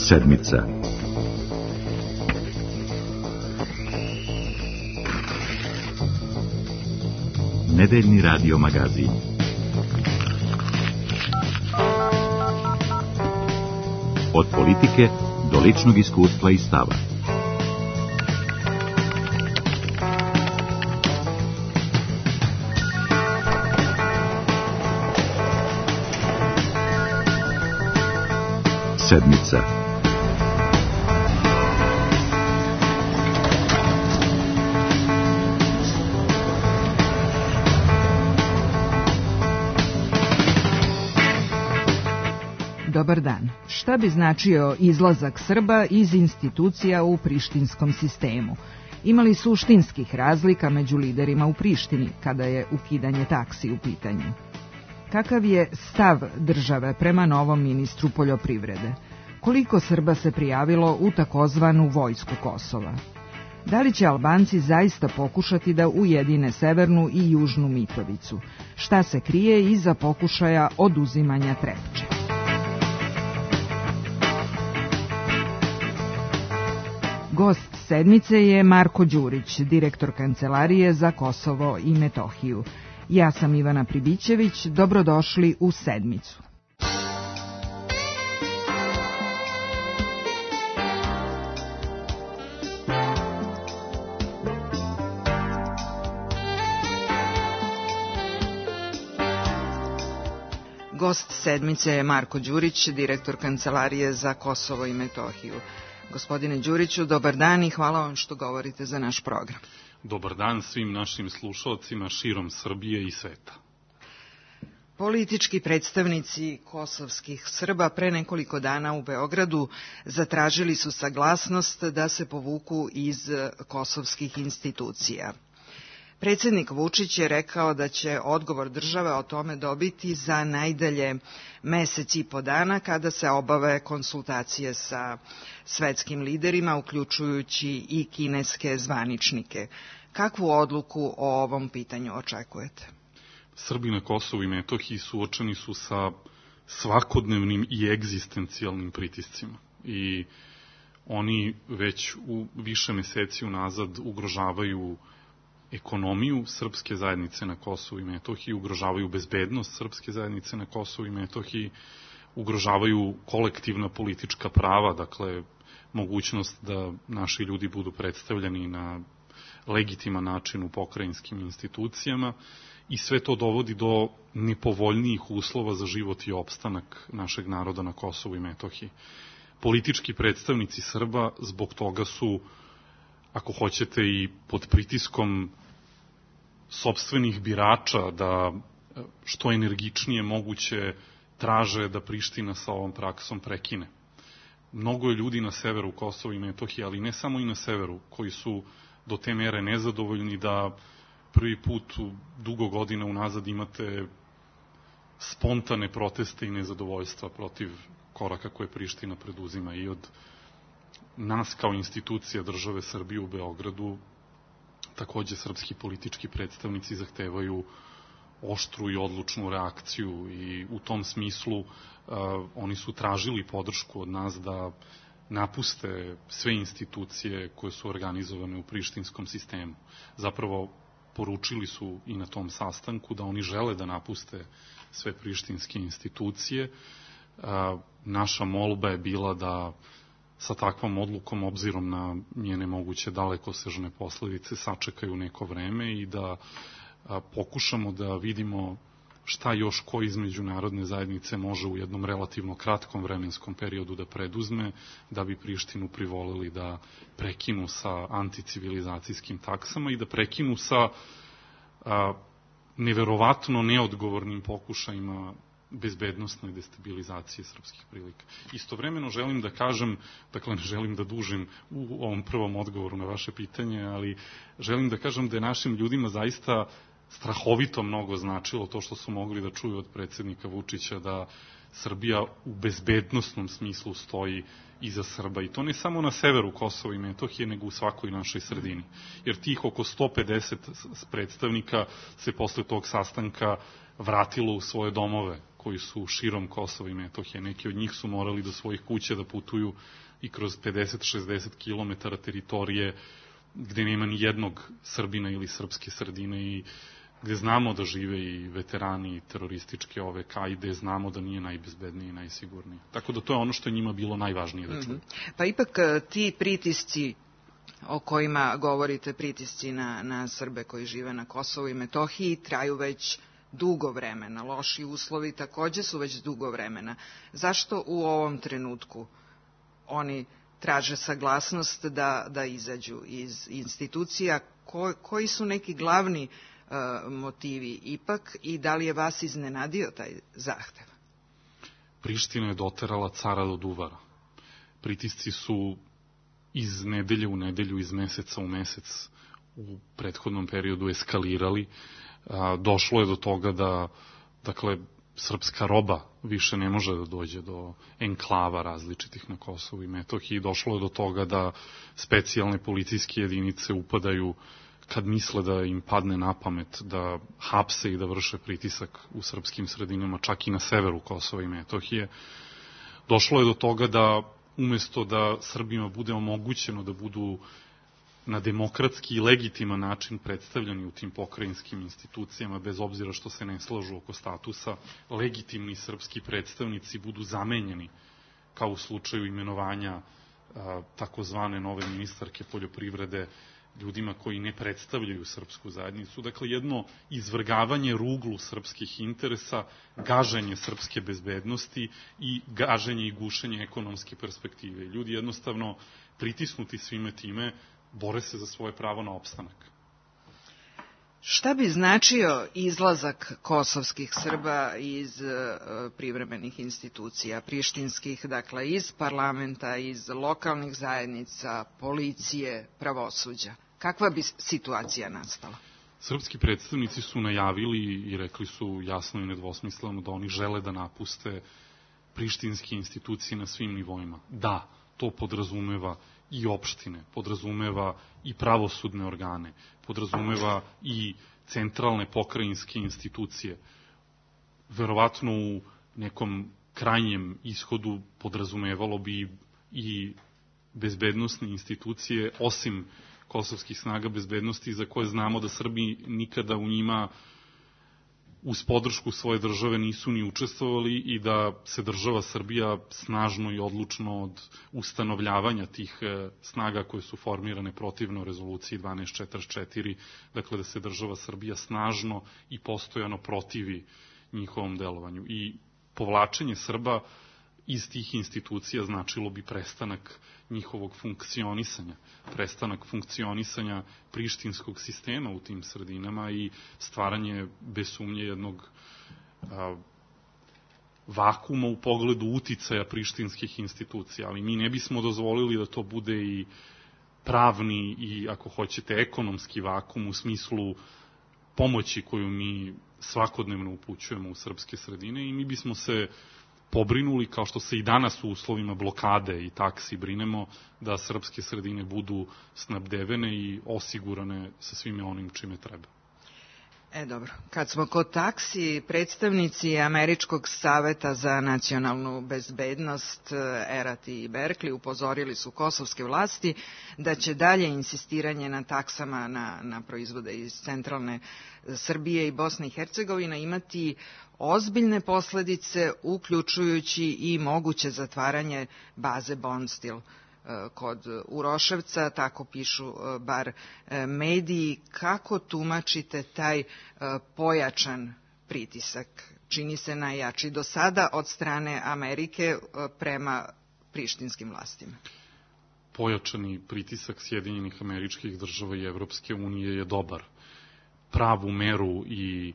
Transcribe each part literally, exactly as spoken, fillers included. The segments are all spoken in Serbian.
Sedmica. Nedeljni radio magazin. Od politike do ličnog iskustva i stava. Sedmica. Dobar dan. Šta bi značio izlazak Srba iz institucija u prištinskom sistemu? Ima li suštinskih razlika među liderima u Prištini kada je ukidanje taksi u pitanju? Kakav je stav države prema novom ministru poljoprivrede? Koliko Srba se prijavilo u takozvanu vojsku Kosova? Da li će Albanci zaista pokušati da ujedine Severnu i Južnu Mitrovicu? Šta se krije iza pokušaja oduzimanja Trepče? Gost sedmice je Marko Đurić, direktor Kancelarije za Kosovo i Metohiju. Ja sam Ivana Pribićević, dobrodošli u Sedmicu. Gost sedmice je Marko Đurić, direktor Kancelarije za Kosovo i Metohiju. Gospodine Đuriću, dobar dan i hvala vam što govorite za naš program. Dobar dan svim našim slušalcima širom Srbije i sveta. Politički predstavnici kosovskih Srba pre nekoliko dana u Beogradu zatražili su saglasnost da se povuku iz kosovskih institucija. Predsjednik Vučić je rekao da će odgovor države o tome dobiti za najdalje mesec i po dana kada se obave konsultacije sa svetskim liderima, uključujući i kineske zvaničnike. Kakvu odluku o ovom pitanju očekujete? Srbi na Kosovu i Metohiji suočeni su sa svakodnevnim i egzistencijalnim pritiscima i oni već u više meseci unazad ugrožavaju ekonomiju srpske zajednice na Kosovu i Metohiji, ugrožavaju bezbednost srpske zajednice na Kosovu i Metohiji, ugrožavaju kolektivna politička prava, dakle mogućnost da naši ljudi budu predstavljeni na legitiman način u pokrajinskim institucijama i sve to dovodi do nepovoljnijih uslova za život i opstanak našeg naroda na Kosovu i Metohiji. Politički predstavnici Srba zbog toga su, ako hoćete, i pod pritiskom sopstvenih birača da što energičnije moguće traže da Priština sa ovom praksom prekine. Mnogo je ljudi na severu Kosova i Metohije, ali ne samo i na severu, koji su do te mere nezadovoljni da prvi put u dugo godina unazad imate spontane proteste i nezadovoljstva protiv koraka koje Priština preduzima. I od nas kao institucija države Srbije u Beogradu takođe srpski politički predstavnici zahtevaju oštru i odlučnu reakciju i u tom smislu uh, oni su tražili podršku od nas da napuste sve institucije koje su organizovane u prištinskom sistemu. Zapravo poručili su i na tom sastanku da oni žele da napuste sve prištinske institucije. Uh, naša molba je bila da sa takvom odlukom, obzirom na njene moguće dalekosežne posledice, sačekaju neko vreme i da a, pokušamo da vidimo šta još ko iz međunarodne zajednice može u jednom relativno kratkom vremenskom periodu da preduzme, da bi Prištinu privolili da prekinu sa anticivilizacijskim taksama i da prekinu sa a, neverovatno neodgovornim pokušajima bezbednostne destabilizacije srpskih prilika. Istovremeno želim da kažem, dakle ne želim da dužim u ovom prvom odgovoru na vaše pitanje, ali želim da kažem da je našim ljudima zaista strahovito mnogo značilo to što su mogli da čuju od predsjednika Vučića da Srbija u bezbednostnom smislu stoji iza Srba. I to ne samo na severu Kosova i Metohije, nego u svakoj našoj sredini. Jer tih oko sto pedeset predstavnika se posle tog sastanka vratilo u svoje domove, koji su širom Kosova i Metohije. Neki od njih su morali do svojih kuća da putuju i kroz pedeset do šezdeset kilometara teritorije gde nema ni jednog Srbina ili srpske sredine i gde znamo da žive i veterani terorističke O V K i gde znamo da nije najbezbednije i najsigurnije. Tako da to je ono što je njima bilo najvažnije da čuju. Mm-hmm. Pa ipak ti pritisci o kojima govorite, pritisci na, na Srbe koji žive na Kosovu i Metohiji, traju već dugo vremena. Loši uslovi takođe su već dugo vremena. Zašto u ovom trenutku oni traže saglasnost da, da izađu iz institucija? Ko, koji su neki glavni uh, motivi ipak i da li je vas iznenadio taj zahtev? Priština je doterala cara do duvara. Pritisci su iz nedelje u nedelju, iz meseca u mesec u prethodnom periodu eskalirali. Došlo je do toga da, dakle, srpska roba više ne može da dođe do enklava različitih na Kosovu i Metohiji. Došlo je do toga da specijalne policijske jedinice upadaju kad misle da im padne na pamet da hapse i da vrše pritisak u srpskim sredinama, čak i na severu Kosova i Metohije. Došlo je do toga da umesto da Srbima bude omogućeno da budu na demokratski i legitiman način predstavljeni u tim pokrajinskim institucijama, bez obzira što se ne slažu oko statusa, legitimni srpski predstavnici budu zamenjeni, kao u slučaju imenovanja a, takozvane nove ministarke poljoprivrede, ljudima koji ne predstavljaju srpsku zajednicu. Dakle, jedno izvrgavanje ruglu srpskih interesa, gaženje srpske bezbednosti i gaženje i gušenje ekonomske perspektive. Ljudi jednostavno pritisnuti svime time bore se za svoje pravo na opstanak. Šta bi značio izlazak kosovskih Srba iz uh, privremenih institucija, prištinskih, dakle iz parlamenta, iz lokalnih zajednica, policije, pravosuđa? Kakva bi situacija nastala? Srpski predstavnici su najavili i rekli su jasno i nedvosmisleno da oni žele da napuste prištinske institucije na svim nivoima. Da, to podrazumeva i opštine, podrazumeva i pravosudne organe, podrazumeva i centralne pokrajinske institucije. Verovatno u nekom krajnjem ishodu podrazumevalo bi i bezbednosne institucije, osim kosovskih snaga bezbednosti, za koje znamo da Srbi nikada u njima uz podršku svoje države nisu ni učestvovali i da se država Srbija snažno i odlučno od ustanovljavanja tih snaga koje su formirane protivno rezoluciji dvanaest četrdeset četiri, dakle da se država Srbija snažno i postojano protivi njihovom delovanju. I povlačenje Srba iz tih institucija značilo bi prestanak njihovog funkcionisanja, prestanak funkcionisanja prištinskog sistema u tim sredinama i stvaranje bez sumnje jednog a, vakuma u pogledu uticaja prištinskih institucija. Ali mi ne bismo dozvolili da to bude i pravni i, ako hoćete, ekonomski vakum u smislu pomoći koju mi svakodnevno upućujemo u srpske sredine i mi bismo se pobrinuli, kao što se i danas u uslovima blokade i taksi brinemo, da srpske sredine budu snabdevene i osigurane sa svime onim čime treba. E, dobro. Kad smo kod taksi, predstavnici Američkog saveta za nacionalnu bezbednost, Erat i Berkeley, upozorili su kosovske vlasti da će dalje insistiranje na taksama na, na proizvode iz centralne Srbije i Bosne i Hercegovine imati ozbiljne posledice, uključujući i moguće zatvaranje baze Bondstil kod Uroševca, tako pišu bar mediji. Kako tumačite taj pojačan pritisak? Čini se najjači do sada od strane Amerike prema prištinskim vlastima. Pojačani pritisak Sjedinjenih Američkih Država i Evropske unije je dobar. Pravu meru i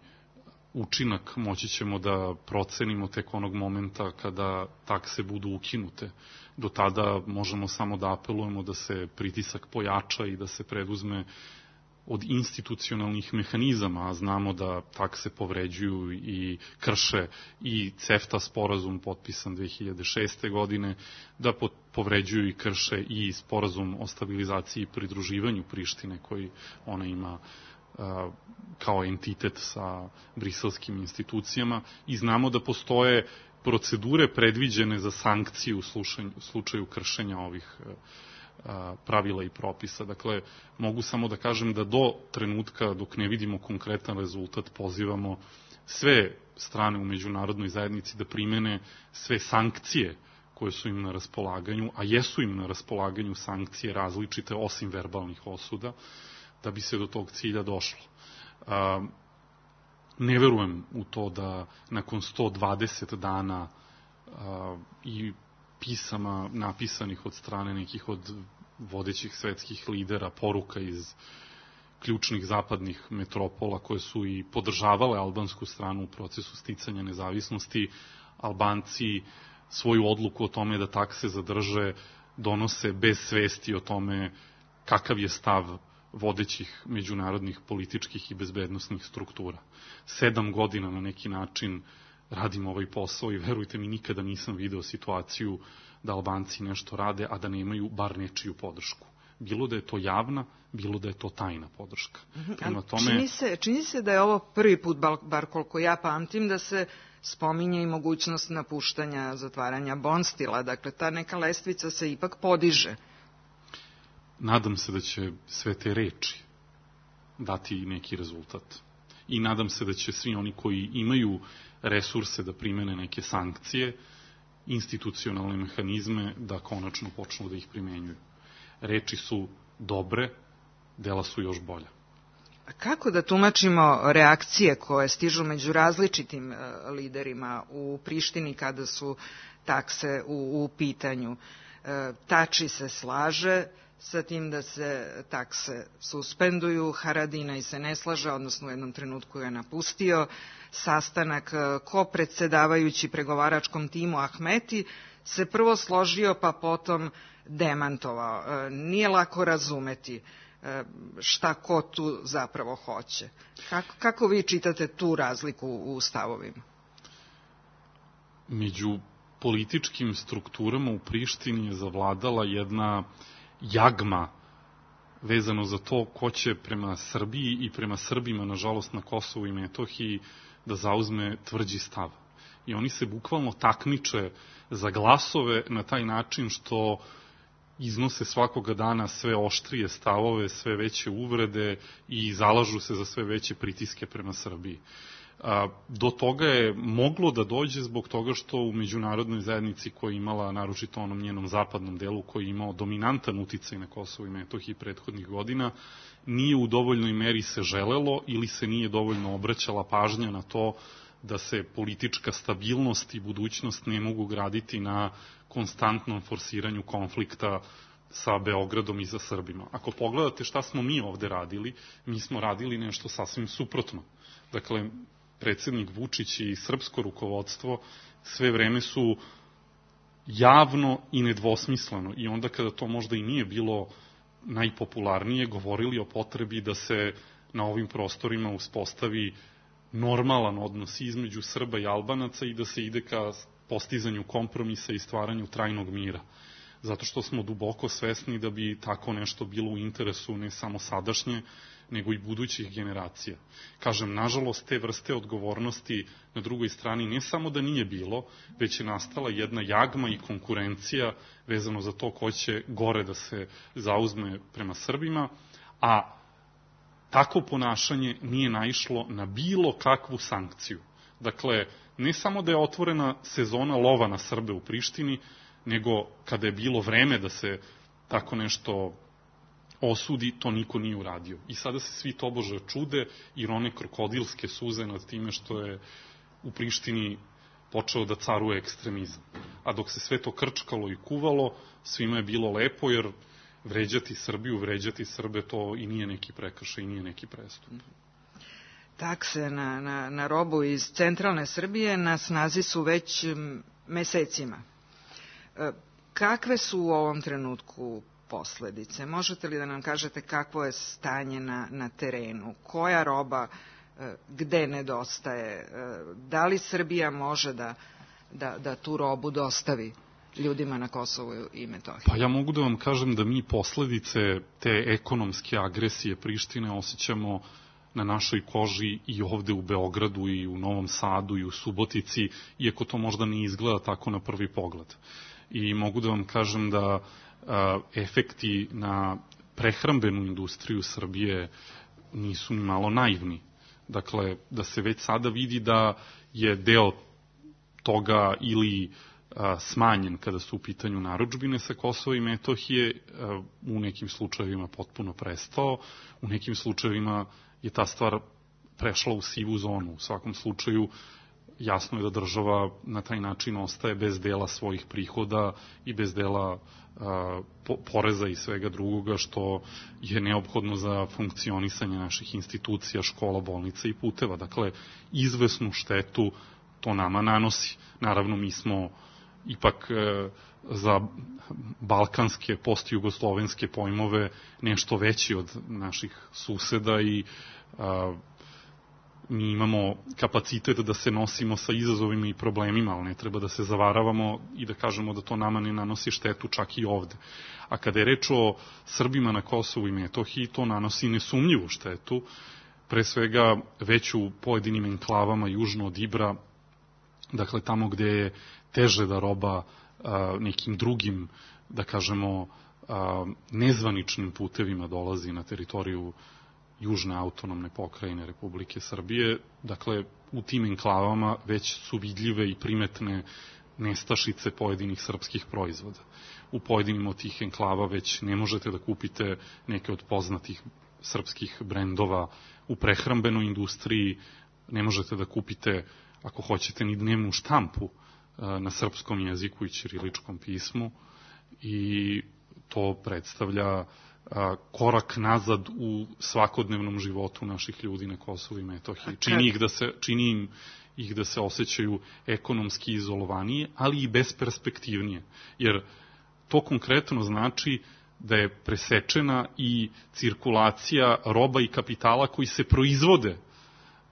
učinak moći ćemo da procenimo tek onog momenta kada takse budu ukinute. Do tada možemo samo da apelujemo da se pritisak pojača i da se preduzme od institucionalnih mehanizama, a znamo da takse povređuju i krše i CEFTA sporazum potpisan dve hiljade šeste. godine, da povređuju i krše i sporazum o stabilizaciji i pridruživanju Prištine koji ona ima kao entitet sa briselskim institucijama i znamo da postoje procedure predviđene za sankcije u slučaju kršenja ovih pravila i propisa. Dakle, mogu samo da kažem da do trenutka dok ne vidimo konkretan rezultat pozivamo sve strane u međunarodnoj zajednici da primene sve sankcije koje su im na raspolaganju, a jesu im na raspolaganju sankcije različite osim verbalnih osuda, da bi se do tog cilja došlo. Ne verujem u to da nakon sto dvadeset dana i pisama napisanih od strane nekih od vodećih svetskih lidera, poruka iz ključnih zapadnih metropola koje su i podržavale albansku stranu u procesu sticanja nezavisnosti, Albanci svoju odluku o tome da takse zadrže donose bez svesti o tome kakav je stav vodećih međunarodnih političkih i bezbednosnih struktura. Sedam godina na neki način radim ovaj posao i verujte mi, nikada nisam video situaciju da Albanci nešto rade, a da nemaju bar nečiju podršku. Bilo da je to javna, bilo da je to tajna podrška. Prema tome... čini, se, čini se da je ovo prvi put, bar koliko ja pamtim, da se spominje i mogućnost napuštanja, zatvaranja Bonstila. Dakle, ta neka lestvica se ipak podiže. Nadam se da će sve te reči dati neki rezultat. I nadam se da će svi oni koji imaju resurse da primene neke sankcije, institucionalne mehanizme, da konačno počnu da ih primenjuju. Reči su dobre, dela su još bolja. A kako da tumačimo reakcije koje stižu među različitim liderima u Prištini kada su takse u, u pitanju? Tači se slaže sa tim da se takse suspenduju, Haradinaj se ne slaže, odnosno u jednom trenutku je napustio sastanak. Ko predsedavajući pregovaračkom timu Ahmeti se prvo složio pa potom demantovao. Nije lako razumeti šta ko tu zapravo hoće. Kako, kako vi čitate tu razliku u stavovima? Među političkim strukturama u Prištini je zavladala jedna jagma vezano za to ko će prema Srbiji i prema Srbima, nažalost, na Kosovu i Metohiji da zauzme tvrđi stav. I oni se bukvalno takmiče za glasove na taj način što iznose svakoga dana sve oštrije stavove, sve veće uvrede i zalažu se za sve veće pritiske prema Srbiji. Do toga je moglo da dođe zbog toga što u međunarodnoj zajednici koja je imala, naročito onom njenom zapadnom delu, koji je imao dominantan uticaj na Kosovo i Metohiji prethodnih godina, nije u dovoljnoj meri se želelo ili se nije dovoljno obraćala pažnja na to da se politička stabilnost i budućnost ne mogu graditi na konstantnom forsiranju konflikta sa Beogradom i za Srbima. Ako pogledate šta smo mi ovde radili, mi smo radili nešto sasvim suprotno. Dakle, predsednik Vučić i srpsko rukovodstvo sve vreme su javno i nedvosmisleno i onda kada to možda i nije bilo najpopularnije, govorili o potrebi da se na ovim prostorima uspostavi normalan odnos između Srba i Albanaca i da se ide ka postizanju kompromisa i stvaranju trajnog mira. Zato što smo duboko svesni da bi tako nešto bilo u interesu ne samo sadašnje, nego i budućih generacija. Kažem, nažalost, te vrste odgovornosti na drugoj strani ne samo da nije bilo, već je nastala jedna jagma i konkurencija vezano za to ko će gore da se zauzme prema Srbima, a tako ponašanje nije naišlo na bilo kakvu sankciju. Dakle, ne samo da je otvorena sezona lova na Srbe u Prištini, nego kada je bilo vreme da se tako nešto osudi, to niko nije uradio. I sada se svi tobože čude i rone krokodilske suze nad time što je u Prištini počeo da caruje ekstremizam. A dok se sve to krčkalo i kuvalo, svima je bilo lepo, jer vređati Srbiju, vređati Srbe, to i nije neki prekršaj, i nije neki prestup. Takse na, na, na robu iz centralne Srbije na snazi su već mesecima. Kakve su u ovom trenutku posledice? Možete li da nam kažete kakvo je stanje na, na terenu? Koja roba gde nedostaje? Da li Srbija može da, da, da tu robu dostavi ljudima na Kosovu i Metohiji? Pa ja mogu da vam kažem da mi posledice te ekonomske agresije Prištine osjećamo na našoj koži i ovde u Beogradu i u Novom Sadu i u Subotici, iako to možda ne izgleda tako na prvi pogled. I mogu da vam kažem da a, efekti na prehrambenu industriju Srbije nisu ni malo naivni. Dakle, da se već sada vidi da je deo toga ili a, smanjen kada su u pitanju narudžbine sa Kosova i Metohije, a, u nekim slučajevima potpuno prestao, u nekim slučajevima je ta stvar prešla u sivu zonu. U svakom slučaju jasno je da država na taj način ostaje bez dela svojih prihoda i bez dela a, po, poreza i svega drugoga što je neophodno za funkcionisanje naših institucija, škola, bolnica i puteva. Dakle, izvesnu štetu to nama nanosi. Naravno, mi smo ipak e, za balkanske, postjugoslovenske pojmove nešto veći od naših suseda i a, mi imamo kapacitet da se nosimo sa izazovima i problemima, ali ne treba da se zavaravamo i da kažemo da to nama ne nanosi štetu čak i ovde. A kada je reč o Srbima na Kosovu i Metohiji, to nanosi nesumnjivu štetu, pre svega već u pojedinim enklavama južno od Ibra, dakle tamo gde je teže da roba a, nekim drugim, da kažemo, a, nezvaničnim putevima dolazi na teritoriju južne autonomne pokrajine Republike Srbije. Dakle, u tim enklavama već su vidljive i primetne nestašice pojedinih srpskih proizvoda. U pojedinim od tih enklava već ne možete da kupite neke od poznatih srpskih brendova u prehrambenoj industriji, ne možete da kupite, ako hoćete, ni dnevnu štampu na srpskom jeziku i ćiriličkom pismu i to predstavlja korak nazad u svakodnevnom životu naših ljudi na Kosovu i Metohiji. Čini ih da se, čini im ih da se osjećaju ekonomski izolovanije, ali i besperspektivnije. Jer to konkretno znači da je presečena i cirkulacija roba i kapitala koji se proizvode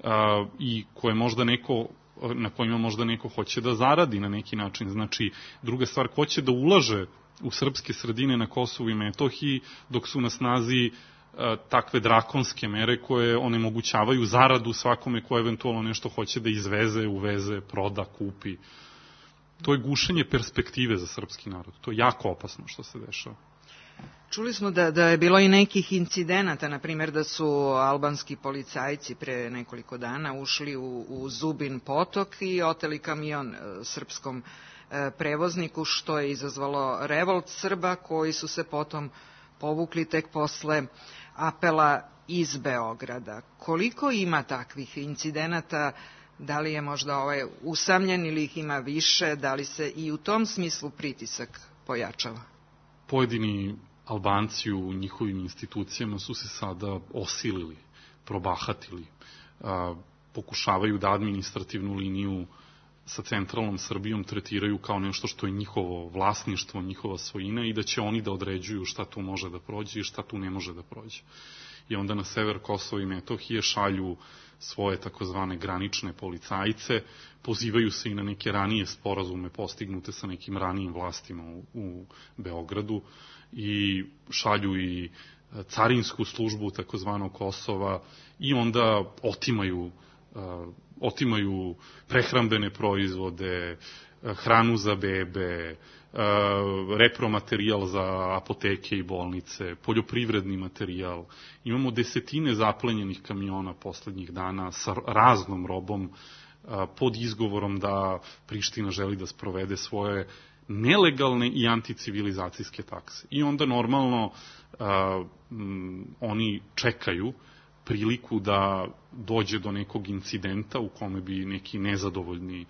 a, i koje možda neko, na kojima možda neko hoće da zaradi na neki način. Znači, druga stvar, ko će da ulaže u srpske sredine na Kosovu i Metohiji, dok su na snazi a, takve drakonske mere koje onemogućavaju zaradu svakome ko eventualno nešto hoće da izveze, uveze, proda, kupi. To je gušenje perspektive za srpski narod. To je jako opasno što se dešava. Čuli smo da, da je bilo i nekih incidenata, na primjer da su albanski policajci pre nekoliko dana ušli u, u Zubin potok i oteli kamion e, srpskom e, prevozniku, što je izazvalo revolt Srba koji su se potom povukli tek posle apela iz Beograda. Koliko ima takvih incidenata? Da li je možda ovaj usamljen ili ih ima više? Da li se i u tom smislu pritisak pojačava? Pojedini Albanci u njihovim institucijama su se sada osilili, probahatili, a, pokušavaju da administrativnu liniju sa centralnom Srbijom tretiraju kao nešto što je njihovo vlasništvo, njihova svojina i da će oni da određuju šta tu može da prođe i šta tu ne može da prođe. I onda na sever Kosova i Metohije šalju svoje takozvane granične policajce, pozivaju se i na neke ranije sporazume postignute sa nekim ranijim vlastima u, u Beogradu i šalju i carinsku službu takozvanog Kosova i onda otimaju, uh, otimaju prehrambene proizvode, hranu za bebe, repromaterijal za apoteke i bolnice, poljoprivredni materijal. Imamo desetine zaplenjenih kamiona poslednjih dana sa raznom robom pod izgovorom da Priština želi da sprovede svoje nelegalne i anticivilizacijske takse. I onda normalno a, m, oni čekaju priliku da dođe do nekog incidenta u kome bi neki nezadovoljni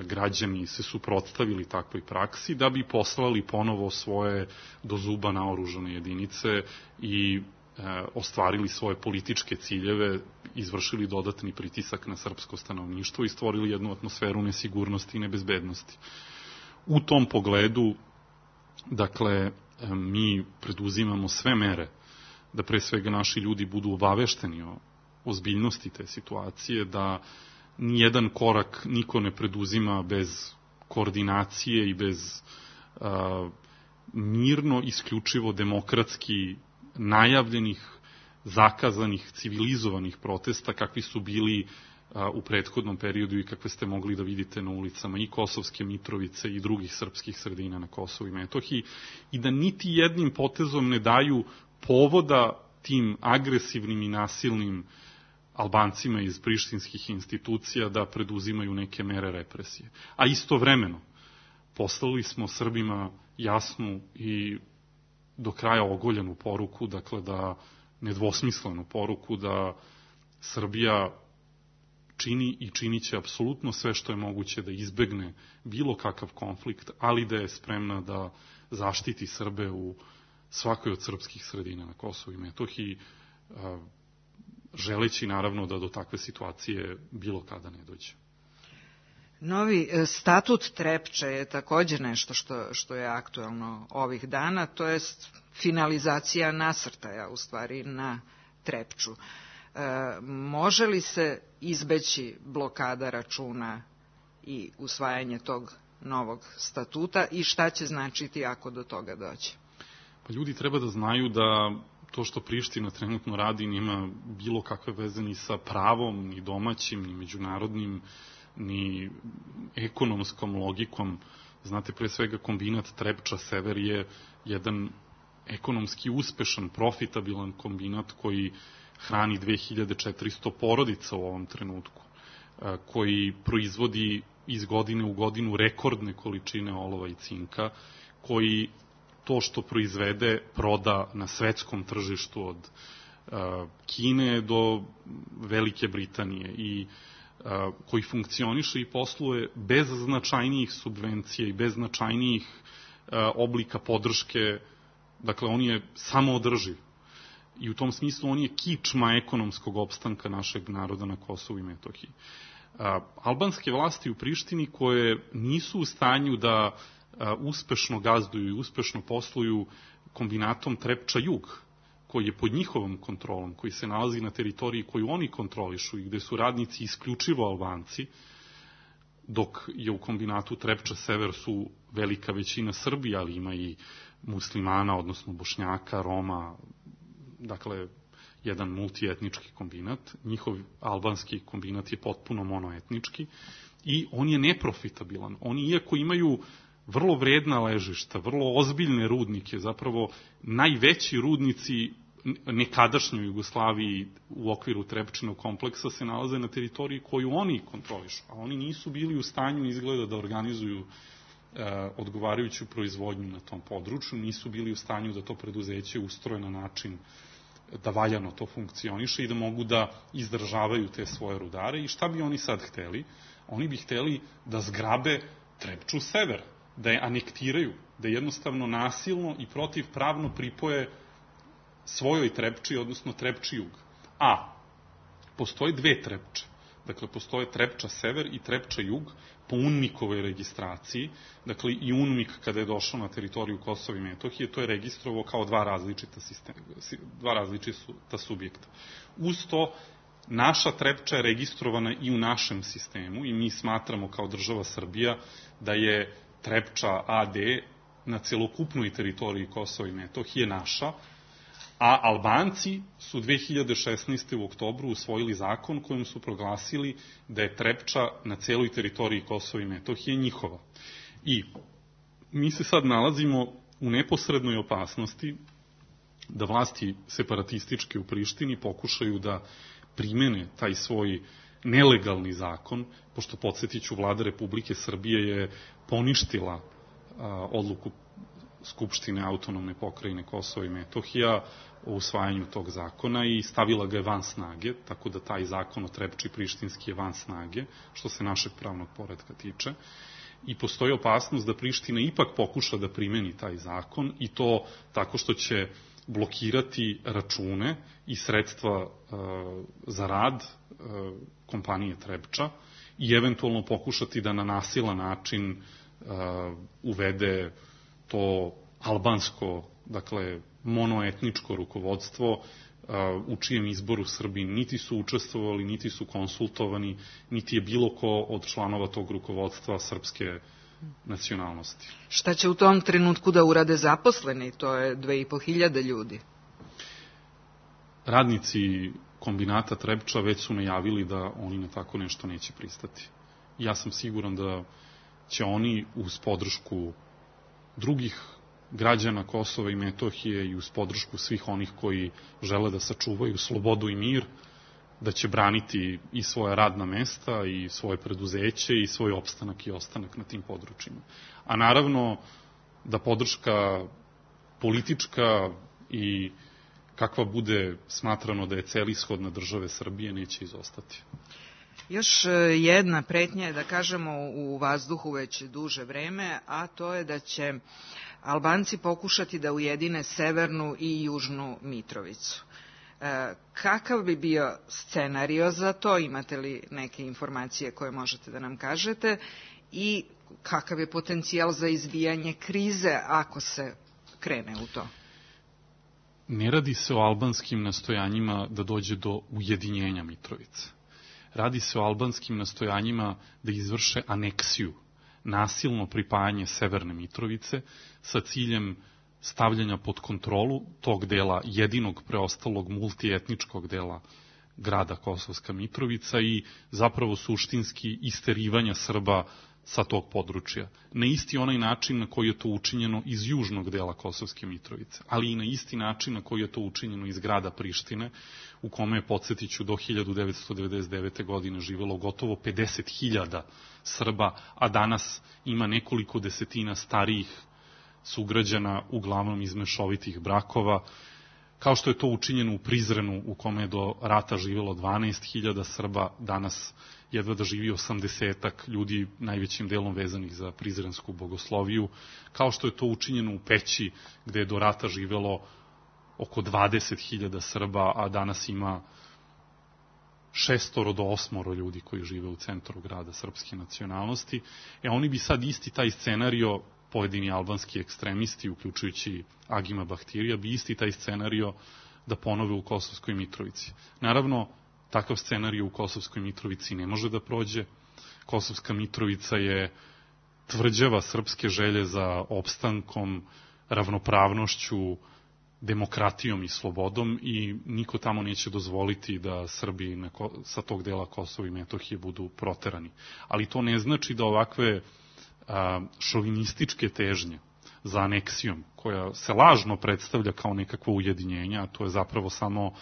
građani se suprotstavili takvoj praksi, da bi poslali ponovo svoje do zuba naoružane jedinice i e, ostvarili svoje političke ciljeve, izvršili dodatni pritisak na srpsko stanovništvo i stvorili jednu atmosferu nesigurnosti i nebezbednosti. U tom pogledu, dakle, mi preduzimamo sve mere da pre svega naši ljudi budu obavešteni o ozbiljnosti te situacije, da nijedan korak niko ne preduzima bez koordinacije i bez a, mirno, isključivo demokratski najavljenih zakazanih, civilizovanih protesta kakvi su bili u prethodnom periodu i kakve ste mogli da vidite na ulicama i Kosovske Mitrovice i drugih srpskih sredina na Kosovu i Metohiji, i da niti jednim potezom ne daju povoda tim agresivnim i nasilnim Albancima iz prištinskih institucija da preduzimaju neke mere represije. A istovremeno poslali smo Srbima jasnu i do kraja ogoljenu poruku, dakle da nedvosmislenu poruku da Srbija čini i činit će apsolutno sve što je moguće da izbegne bilo kakav konflikt, ali da je spremna da zaštiti Srbe u svakoj od srpskih sredina na Kosovu i Metohiji, želeći naravno da do takve situacije bilo kada ne dođe. Novi statut Trepče je također nešto što, što je aktuelno ovih dana, to je finalizacija nasrtaja u stvari na Trepču. E, može li se izbeći blokada računa i usvajanje tog novog statuta i šta će značiti ako do toga dođe? Pa ljudi treba da znaju da to što Priština trenutno radi nema bilo kakve veze ni sa pravom, ni domaćim, ni međunarodnim, ni ekonomskom logikom. Znate, pre svega kombinat Trepča Sever je jedan ekonomski uspešan, profitabilan kombinat koji hrani dve hiljade četiristo porodica u ovom trenutku, koji proizvodi iz godine u godinu rekordne količine olova i cinka, koji to što proizvede proda na svetskom tržištu od Kine do Velike Britanije i koji funkcioniše i posluje bez značajnijih subvencija i bez značajnijih oblika podrške. Dakle, on je samoodrživ i u tom smislu on je kičma ekonomskog opstanka našeg naroda na Kosovu i Metohiji. Albanske vlasti u Prištini koje nisu u stanju da uspešno gazduju i uspešno posluju kombinatom Trepča Jug, koji je pod njihovom kontrolom, koji se nalazi na teritoriji koju oni kontrolišu i gde su radnici isključivo Albanci, dok je u kombinatu Trepča Sever su velika većina Srbija, ali ima i muslimana, odnosno Bošnjaka, Roma, dakle, jedan multietnički kombinat. Njihov albanski kombinat je potpuno monoetnički i on je neprofitabilan. Oni, iako imaju vrlo vredna ležišta, vrlo ozbiljne rudnike, zapravo najveći rudnici nekadašnjoj Jugoslaviji u okviru Trepčinog kompleksa se nalaze na teritoriji koju oni kontrolišu, a oni nisu bili u stanju izgleda da organizuju e, odgovarajuću proizvodnju na tom području, nisu bili u stanju da to preduzeće ustroje na način da valjano to funkcioniše i da mogu da izdržavaju te svoje rudare. I šta bi oni sad hteli? Oni bi hteli da zgrabe Trepču Sever, da je anektiraju, da jednostavno nasilno i protivpravno pripoje svojoj Trepči, odnosno Trepči Jug. A postoje dve Trepče. Dakle, postoje Trepča Sever i Trepča Jug po UNMIK-ovoj registraciji. Dakle, i UNMIK kada je došao na teritoriju Kosova i Metohije, to je registrovao kao dva različita, sistema, dva različita subjekta. Uz to, naša Trepča je registrovana i u našem sistemu i mi smatramo kao država Srbija da je Trepča A D na celokupnoj teritoriji Kosova i Metohije naša, a Albanci su dve hiljade šesnaeste. u oktobru usvojili zakon kojim su proglasili da je Trepča na celoj teritoriji Kosova i Metohije njihova. I mi se sad nalazimo u neposrednoj opasnosti da vlasti separatističke u Prištini pokušaju da primene taj svoj nelegalni zakon, pošto, podsjetiću, vlada Republike Srbije je poništila a, odluku Skupštine autonomne pokrajine Kosova i Metohija o usvajanju tog zakona i stavila ga je van snage, tako da taj zakon o Trepči prištinski je van snage, što se našeg pravnog poretka tiče. I postoji opasnost da Priština ipak pokuša da primeni taj zakon i to tako što će blokirati račune i sredstva e, za rad e, kompanije Trepča i eventualno pokušati da na nasilan način e, uvede to albansko, dakle, monoetničko rukovodstvo u čijem izboru Srbi niti su učestvovali, niti su konsultovani, niti je bilo ko od članova tog rukovodstva srpske nacionalnosti. Šta će u tom trenutku da urade zaposleni? To je dve i po hiljade ljudi. radnici kombinata Trepča već su najavili da oni na tako nešto neće pristati. Ja sam siguran da će oni uz podršku drugih građana Kosova i Metohije i uz podršku svih onih koji žele da sačuvaju slobodu i mir, da će braniti i svoja radna mesta i svoje preduzeće i svoj opstanak i ostanak na tim područjima. A naravno da podrška politička i kakva bude smatrano da je celishodna države Srbije neće izostati. Još jedna pretnja je, da kažemo, u vazduhu već duže vreme, a to je da će Albanci pokušati da ujedine Severnu i Južnu Mitrovicu. E, kakav bi bio scenario za to? Imate li neke informacije koje možete da nam kažete? I kakav je potencijal za izbijanje krize ako se krene u to? Ne radi se o albanskim nastojanjima da dođe do ujedinjenja Mitrovice. Radi se o albanskim nastojanjima da izvrše aneksiju, nasilno pripajanje Severne Mitrovice sa ciljem stavljanja pod kontrolu tog dela, jedinog preostalog multietničkog dela grada Kosovska Mitrovica i zapravo suštinski isterivanja Srba sa tog područja. Na isti onaj način na koji je to učinjeno iz južnog dela Kosovske Mitrovice, ali i na isti način na koji je to učinjeno iz grada Prištine, u kome je, podsjetiću, do hiljadu devetsto devedeset devete. godine živelo gotovo pedeset hiljada Srba, a danas ima nekoliko desetina starijih sugrađana, uglavnom iz mešovitih brakova, kao što je to učinjeno u Prizrenu, u kome je do rata živelo dvanaest hiljada Srba, danas jedva da živi osamdesetak ljudi, najvećim delom vezanih za prizrensku bogosloviju, kao što je to učinjeno u Peći, gde je do rata živelo oko dvadeset hiljada Srba, a danas ima šestoro do osmoro ljudi koji žive u centru grada srpske nacionalnosti. E oni bi sad isti taj scenario, pojedini albanski ekstremisti, uključujući Agima Bahtirija, bi isti taj scenario da ponove u Kosovskoj Mitrovici. Naravno, takav scenario u Kosovskoj Mitrovici ne može da prođe. Kosovska Mitrovica je tvrđava srpske želje za opstankom, ravnopravnošću, demokratijom i slobodom i niko tamo neće dozvoliti da Srbi na, sa tog dela Kosova i Metohije budu proterani. Ali to ne znači da ovakve a, šovinističke težnje za aneksijom, koja se lažno predstavlja kao nekakvo ujedinjenje, a to je zapravo samo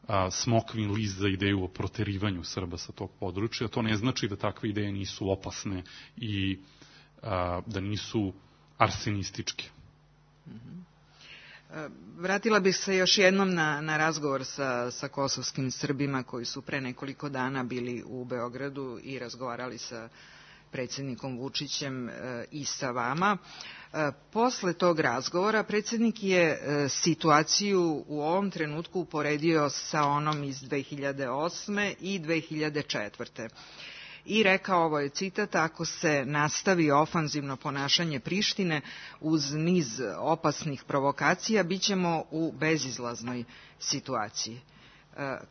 a, smokvin list za ideju o proterivanju Srba sa tog područja, to ne znači da takve ideje nisu opasne i a, da nisu arsenističke. Mm-hmm. Vratila bih se još jednom na, na razgovor sa, sa kosovskim Srbima koji su pre nekoliko dana bili u Beogradu i razgovarali sa predsjednikom Vučićem e, i sa vama. E, posle tog razgovora predsjednik je e, situaciju u ovom trenutku uporedio sa onom iz dve hiljade osme i dve hiljade četvrte. I rekao, ovo je citat, ako se nastavi ofanzivno ponašanje Prištine uz niz opasnih provokacija, bit ćemo u bezizlaznoj situaciji. E,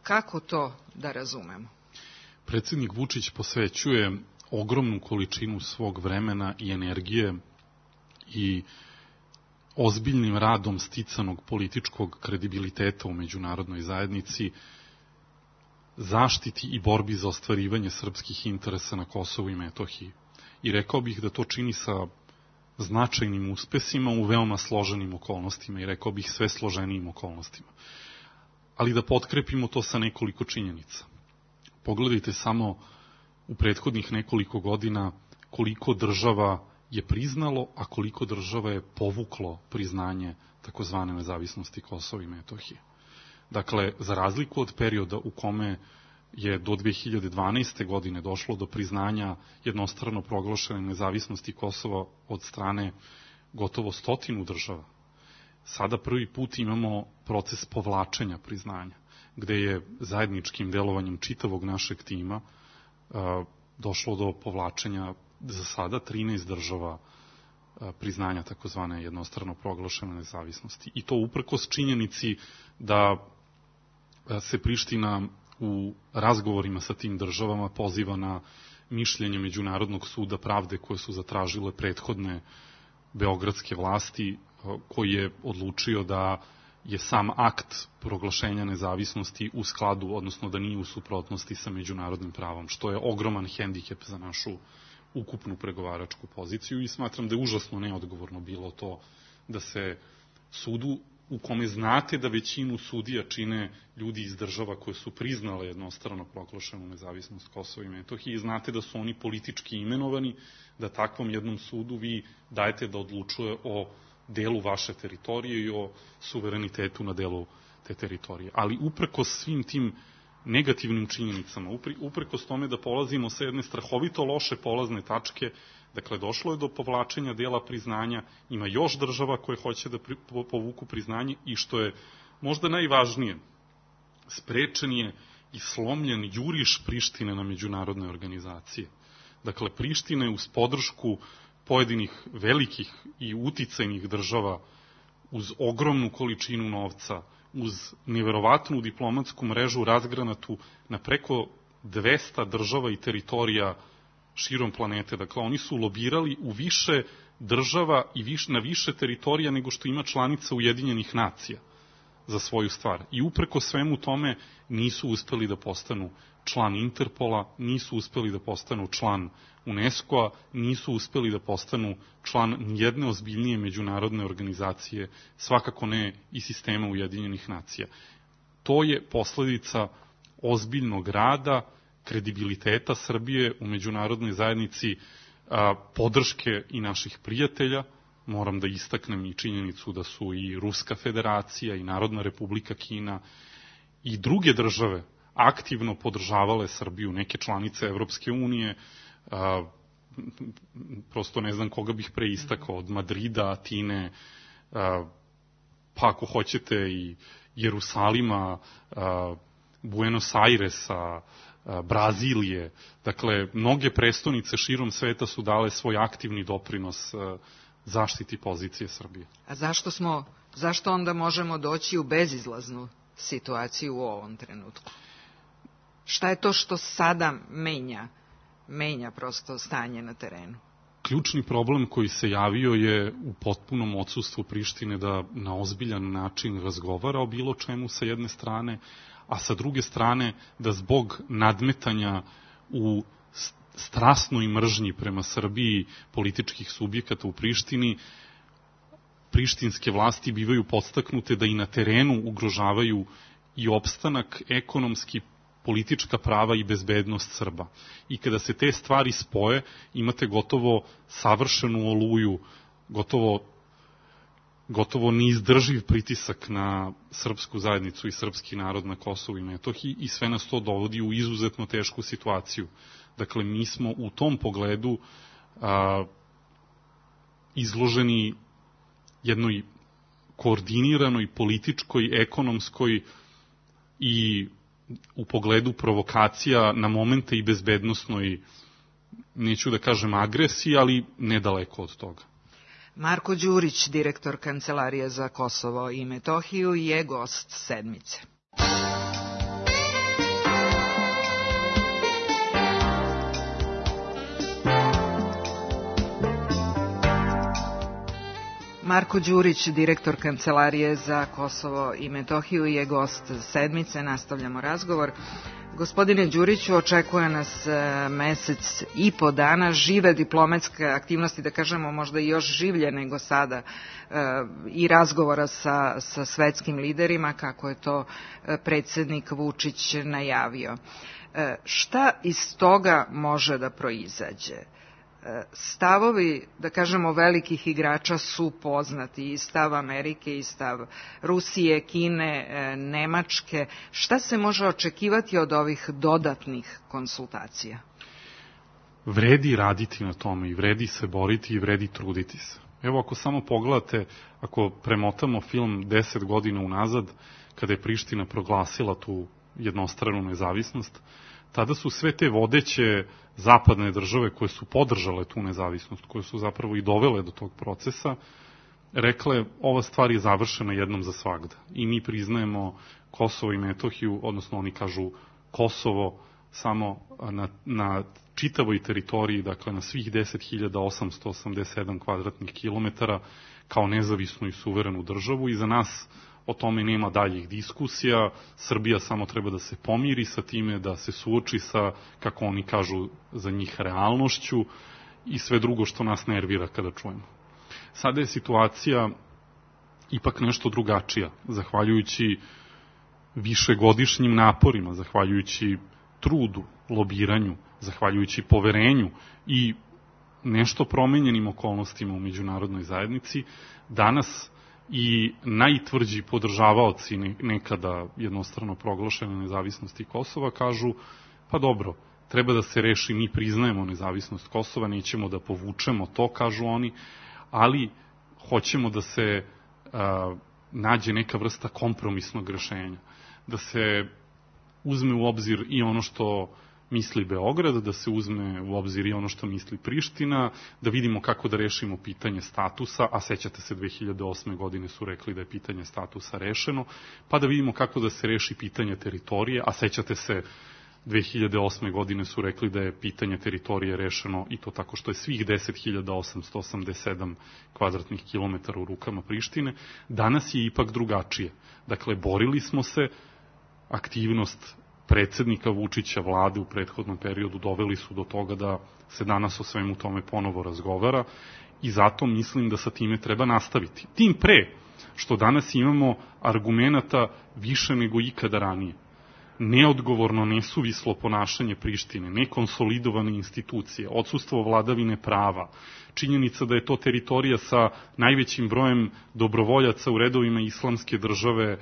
kako to da razumemo? Predsjednik Vučić posvećuje ogromnu količinu svog vremena i energije i ozbiljnim radom sticanog političkog kredibiliteta u međunarodnoj zajednici zaštiti i borbi za ostvarivanje srpskih interesa na Kosovu i Metohiji. I rekao bih da to čini sa značajnim uspesima u veoma složenim okolnostima i rekao bih sve složenijim okolnostima. Ali da potkrepimo to sa nekoliko činjenica. Pogledajte samo u prethodnih nekoliko godina koliko država je priznalo, a koliko država je povuklo priznanje takozvane nezavisnosti Kosova i Metohije. Dakle, za razliku od perioda u kome je do dve hiljade dvanaeste. godine došlo do priznanja jednostrano proglašene nezavisnosti Kosova od strane gotovo stotinu država, sada prvi put imamo proces povlačenja priznanja, gde je zajedničkim delovanjem čitavog našeg tima a, došlo do povlačenja za sada trinaest država a, priznanja takozvane jednostrano proglašene nezavisnosti. I to uprkos činjenici da se Priština u razgovorima sa tim državama poziva na mišljenje Međunarodnog suda pravde koje su zatražile prethodne beogradske vlasti, koji je odlučio da je sam akt proglašenja nezavisnosti u skladu, odnosno da nije u suprotnosti sa međunarodnim pravom, što je ogroman hendikep za našu ukupnu pregovaračku poziciju i smatram da je užasno neodgovorno bilo to da se sudu u kome znate da većinu sudija čine ljudi iz država koje su priznale jednostrano proglašenu nezavisnost Kosova i Metohije i znate da su oni politički imenovani, da takvom jednom sudu vi dajete da odlučuje o delu vaše teritorije i o suverenitetu na delu te teritorije. Ali uprkos svim tim negativnim činjenicama, uprkos tome da polazimo sa jedne strahovito loše polazne tačke, dakle, došlo je do povlačenja dela priznanja, ima još država koje hoće da povuku priznanje i što je možda najvažnije, sprečen je i slomljen juriš Prištine na međunarodne organizacije. Dakle, Priština je uz podršku pojedinih velikih i uticajnih država, uz ogromnu količinu novca, uz neverovatnu diplomatsku mrežu razgranatu na preko dvesta država i teritorija širom planete. Dakle, oni su lobirali u više država i viš, na više teritorija nego što ima članica Ujedinjenih nacija za svoju stvar. I upreko svemu tome nisu uspeli da postanu član Interpola, nisu uspeli da postanu član UNESCO-a, nisu uspeli da postanu član nijedne ozbiljnije međunarodne organizacije, svakako ne i sistema Ujedinjenih nacija. To je posledica ozbiljnog rada, kredibiliteta Srbije u međunarodnoj zajednici, a, podrške i naših prijatelja. Moram da istaknem i činjenicu da su i Ruska federacija i Narodna republika Kina i druge države aktivno podržavale Srbiju, neke članice Evropske unije, a, prosto ne znam koga bih preistakao, od Madrida, Atine, a, pa ako hoćete i Jerusalima, a, Buenos Airesa, Brazilije, dakle, mnoge prestonice širom sveta su dale svoj aktivni doprinos zaštiti pozicije Srbije. A zašto smo, zašto onda možemo doći u bezizlaznu situaciju u ovom trenutku? Šta je to što sada menja, menja prosto stanje na terenu? Ključni problem koji se javio je u potpunom odsustvu Prištine da na ozbiljan način razgovara o bilo čemu sa jedne strane, a sa druge strane da zbog nadmetanja u strasnoj mržnji prema Srbiji političkih subjekata u Prištini, prištinske vlasti bivaju podstaknute da i na terenu ugrožavaju i opstanak, ekonomski, politička prava i bezbednost Srba. I kada se te stvari spoje, imate gotovo savršenu oluju, gotovo gotovo neizdrživ pritisak na srpsku zajednicu i srpski narod na Kosovu i Metohiji i sve nas to dovodi u izuzetno tešku situaciju. Dakle, mi smo u tom pogledu a, izloženi jednoj koordiniranoj političkoj, ekonomskoj i u pogledu provokacija na momente i bezbednosnoj, neću da kažem agresiji, ali nedaleko od toga. Marko Đurić, direktor Kancelarije za Kosovo i Metohiju, je gost sedmice. Marko Đurić, direktor Kancelarije za Kosovo i Metohiju, je gost sedmice. Nastavljamo razgovor. Gospodine Đuriću, očekuje nas mesec i po dana žive diplomatske aktivnosti, da kažemo možda i još življe nego sada, i razgovora sa, sa svetskim liderima, kako je to predsednik Vučić najavio. Šta iz toga može da proizađe? Stavovi, da kažemo, velikih igrača su poznati, i stav Amerike, i stav Rusije, Kine, Nemačke. Šta se može očekivati od ovih dodatnih konsultacija? Vredi raditi na tome i vredi se boriti i vredi truditi se. Evo, ako samo pogledate, ako premotamo film deset godina unazad, kada je Priština proglasila tu jednostranu nezavisnost, tada su sve te vodeće zapadne države koje su podržale tu nezavisnost, koje su zapravo i dovele do tog procesa, rekle, ova stvar je završena jednom za svagda. I mi priznajemo Kosovo i Metohiju, odnosno oni kažu Kosovo samo na, na čitavoj teritoriji, dakle na svih deset hiljada osamsto osamdeset sedam kvadratnih kilometara, kao nezavisnu i suverenu državu, i za nas o tome nema daljih diskusija, Srbija samo treba da se pomiri sa time, da se suoči sa, kako oni kažu, za njih realnošću i sve drugo što nas nervira kada čujemo. Sada je situacija ipak nešto drugačija, zahvaljujući višegodišnjim naporima, zahvaljujući trudu, lobiranju, zahvaljujući poverenju i nešto promenjenim okolnostima u međunarodnoj zajednici, danas i najtvrđi podržavaoci nekada jednostrano proglašene nezavisnosti Kosova kažu, pa dobro, treba da se reši, mi priznajemo nezavisnost Kosova, nećemo da povučemo to, kažu oni, ali hoćemo da se a, nađe neka vrsta kompromisnog rešenja, da se uzme u obzir i ono što misli Beograd, da se uzme u obzir i ono što misli Priština, da vidimo kako da rešimo pitanje statusa, a sećate se dve hiljade osme godine su rekli da je pitanje statusa rešeno, pa da vidimo kako da se reši pitanje teritorije, a sećate se dve hiljade osme godine su rekli da je pitanje teritorije rešeno i to tako što je svih deset hiljada osamsto osamdeset sedam kvadratnih kilometara u rukama Prištine. Danas je ipak drugačije. Dakle, borili smo se, aktivnost predsednika Vučića, vlade u prethodnom periodu doveli su do toga da se danas o svemu tome ponovo razgovara i zato mislim da sa time treba nastaviti. Tim pre što danas imamo argumenata više nego ikada ranije. Neodgovorno, nesuvislo ponašanje Prištine, nekonsolidovane institucije, odsustvo vladavine prava, činjenica da je to teritorija sa najvećim brojem dobrovoljaca u redovima islamske države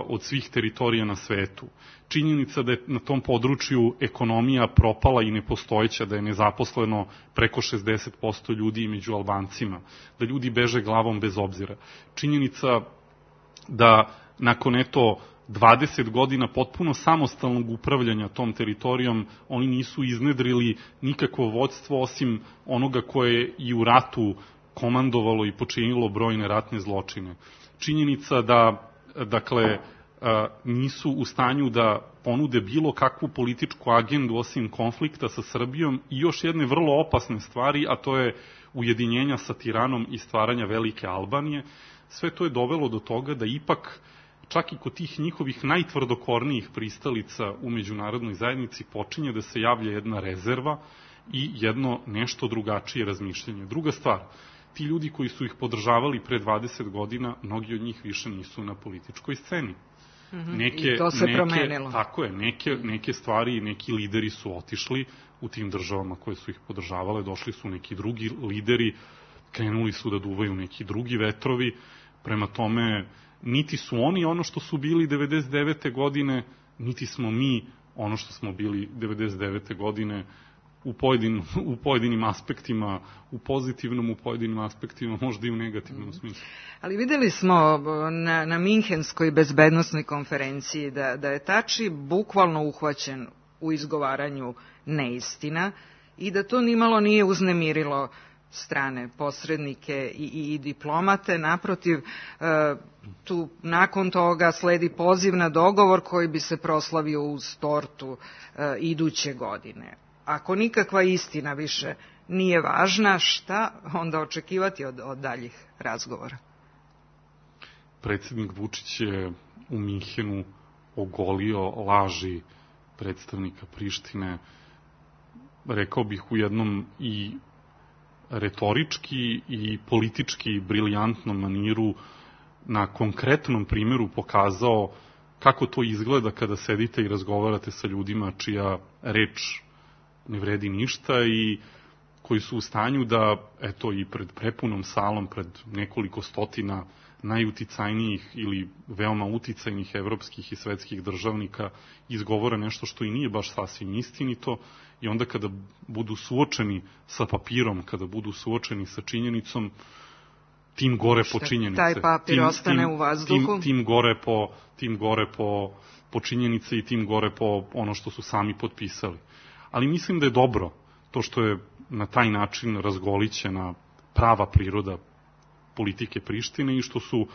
od svih teritorija na svetu. Činjenica da je na tom području ekonomija propala i nepostojeća, da je nezaposleno preko šezdeset posto ljudi među Albancima, da ljudi beže glavom bez obzira. Činjenica da nakon eto dvadeset godina potpuno samostalnog upravljanja tom teritorijom oni nisu iznedrili nikakvo vođstvo osim onoga koje je i u ratu komandovalo i počinilo brojne ratne zločine. Činjenica da dakle, nisu u stanju da ponude bilo kakvu političku agendu osim konflikta sa Srbijom i još jedne vrlo opasne stvari, a to je ujedinjenja sa Tiranom i stvaranja Velike Albanije. Sve to je dovelo do toga da ipak, čak i kod tih njihovih najtvrdokornijih pristalica u međunarodnoj zajednici počinje da se javlja jedna rezerva i jedno nešto drugačije razmišljanje. Druga stvar, ti ljudi koji su ih podržavali pre dvadeset godina, mnogi od njih više nisu na političkoj sceni. Mm-hmm. Neke, I to se neke, promenilo. Tako je, neke, neke stvari, neki lideri su otišli u tim državama koje su ih podržavale, došli su neki drugi lideri, krenuli su da duvaju neki drugi vetrovi, prema tome niti su oni ono što su bili devedeset devete godine, niti smo mi ono što smo bili devedeset devete godine, u pojedinim, u pojedinim aspektima, u pozitivnom, u pojedinim aspektima, možda i u negativnom smislu. Ali videli smo na, na Minhenskoj bezbednosnoj konferenciji da, da je Tači bukvalno uhvaćen u izgovaranju neistina i da to nimalo nije uznemirilo strane posrednike i, i, i diplomate. Naprotiv, e, tu nakon toga sledi poziv na dogovor koji bi se proslavio uz tortu e, iduće godine. Ako nikakva istina više nije važna, šta onda očekivati od, od daljih razgovora? Predsednik Vučić je u Minhenu ogolio laži predstavnika Prištine, rekao bih u jednom i retorički i politički briljantnom maniru, na konkretnom primjeru pokazao kako to izgleda kada sedite i razgovarate sa ljudima čija reč ne vredi ništa i koji su u stanju da, eto, i pred prepunom salom, pred nekoliko stotina najuticajnijih ili veoma uticajnih evropskih i svetskih državnika izgovore nešto što i nije baš sasvim istinito i onda kada budu suočeni sa papirom, kada budu suočeni sa činjenicom, tim gore po činjenice. Taj papir tim, ostane tim, u vazduhu? Tim, tim gore, po, tim gore po, po činjenice i tim gore po ono što su sami potpisali. Ali mislim da je dobro to što je na taj način razgolićena prava priroda politike Prištine i što su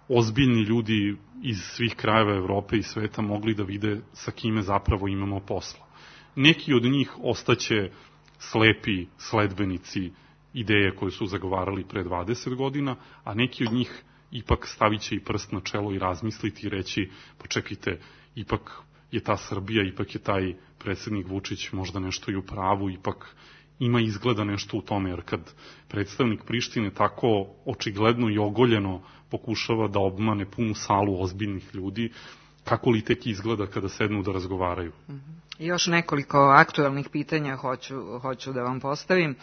ozbiljni ljudi iz svih krajeva Evrope i sveta mogli da vide sa kime zapravo imamo posla. Neki od njih ostaće slepi sledbenici ideje koje su zagovarali pre dvadeset godina, a neki od njih ipak stavit će i prst na čelo i razmisliti i reći, pa čekajte, ipak je ta Srbija, ipak je taj predsednik Vučić možda nešto i u pravu, ipak ima izgleda nešto u tome, jer kad predstavnik Prištine tako očigledno i ogoljeno pokušava da obmane punu salu ozbiljnih ljudi, kako li tek izgleda kada sednu da razgovaraju? I još nekoliko aktuelnih pitanja hoću, hoću da vam postavim.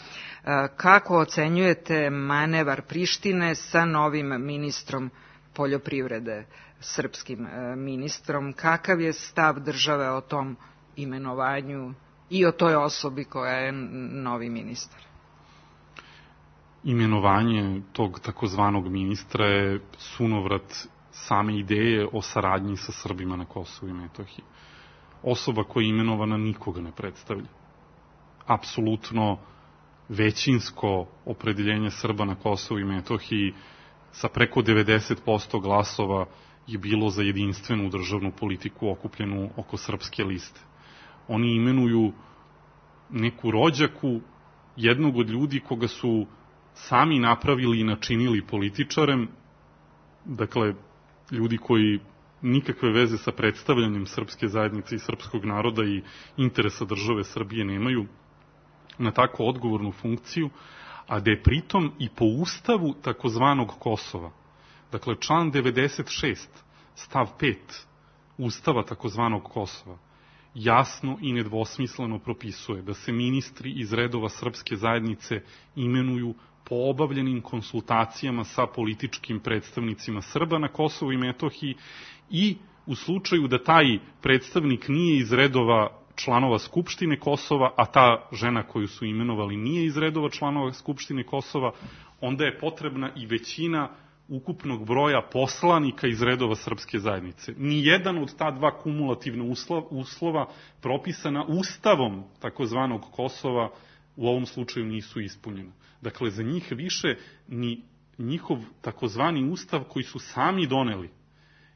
Kako ocenjujete manevar Prištine sa novim ministrom poljoprivrede, srpskim ministrom? Kakav je stav države o tom imenovanju i o toj osobi koja je novi ministar? Imenovanje tog takozvanog ministra je sunovrat same ideje o saradnji sa Srbima na Kosovu i Metohiji. Osoba koja je imenovana nikoga ne predstavlja. Apsolutno većinsko opredeljenje Srba na Kosovu i Metohiji sa preko devedeset posto glasova je bilo za jedinstvenu državnu politiku okupljenu oko srpske liste. Oni imenuju neku rođaku jednog od ljudi koga su sami napravili i načinili političarem, dakle, ljudi koji nikakve veze sa predstavljanjem srpske zajednice i srpskog naroda i interesa države Srbije nemaju, na tako odgovornu funkciju, a da je pritom i po ustavu takozvanog Kosova, dakle član devedeset šest, stav pet ustava takozvanog Kosova, jasno i nedvosmisleno propisuje da se ministri iz redova srpske zajednice imenuju po obavljenim konsultacijama sa političkim predstavnicima Srba na Kosovu i Metohiji i u slučaju da taj predstavnik nije iz redova članova Skupštine Kosova, a ta žena koju su imenovali nije iz redova članova Skupštine Kosova, onda je potrebna i većina ukupnog broja poslanika iz redova srpske zajednice. Nijedan od ta dva kumulativna uslova propisana ustavom takozvanog Kosova u ovom slučaju nisu ispunjena. Dakle, za njih više ni njihov takozvani ustav koji su sami doneli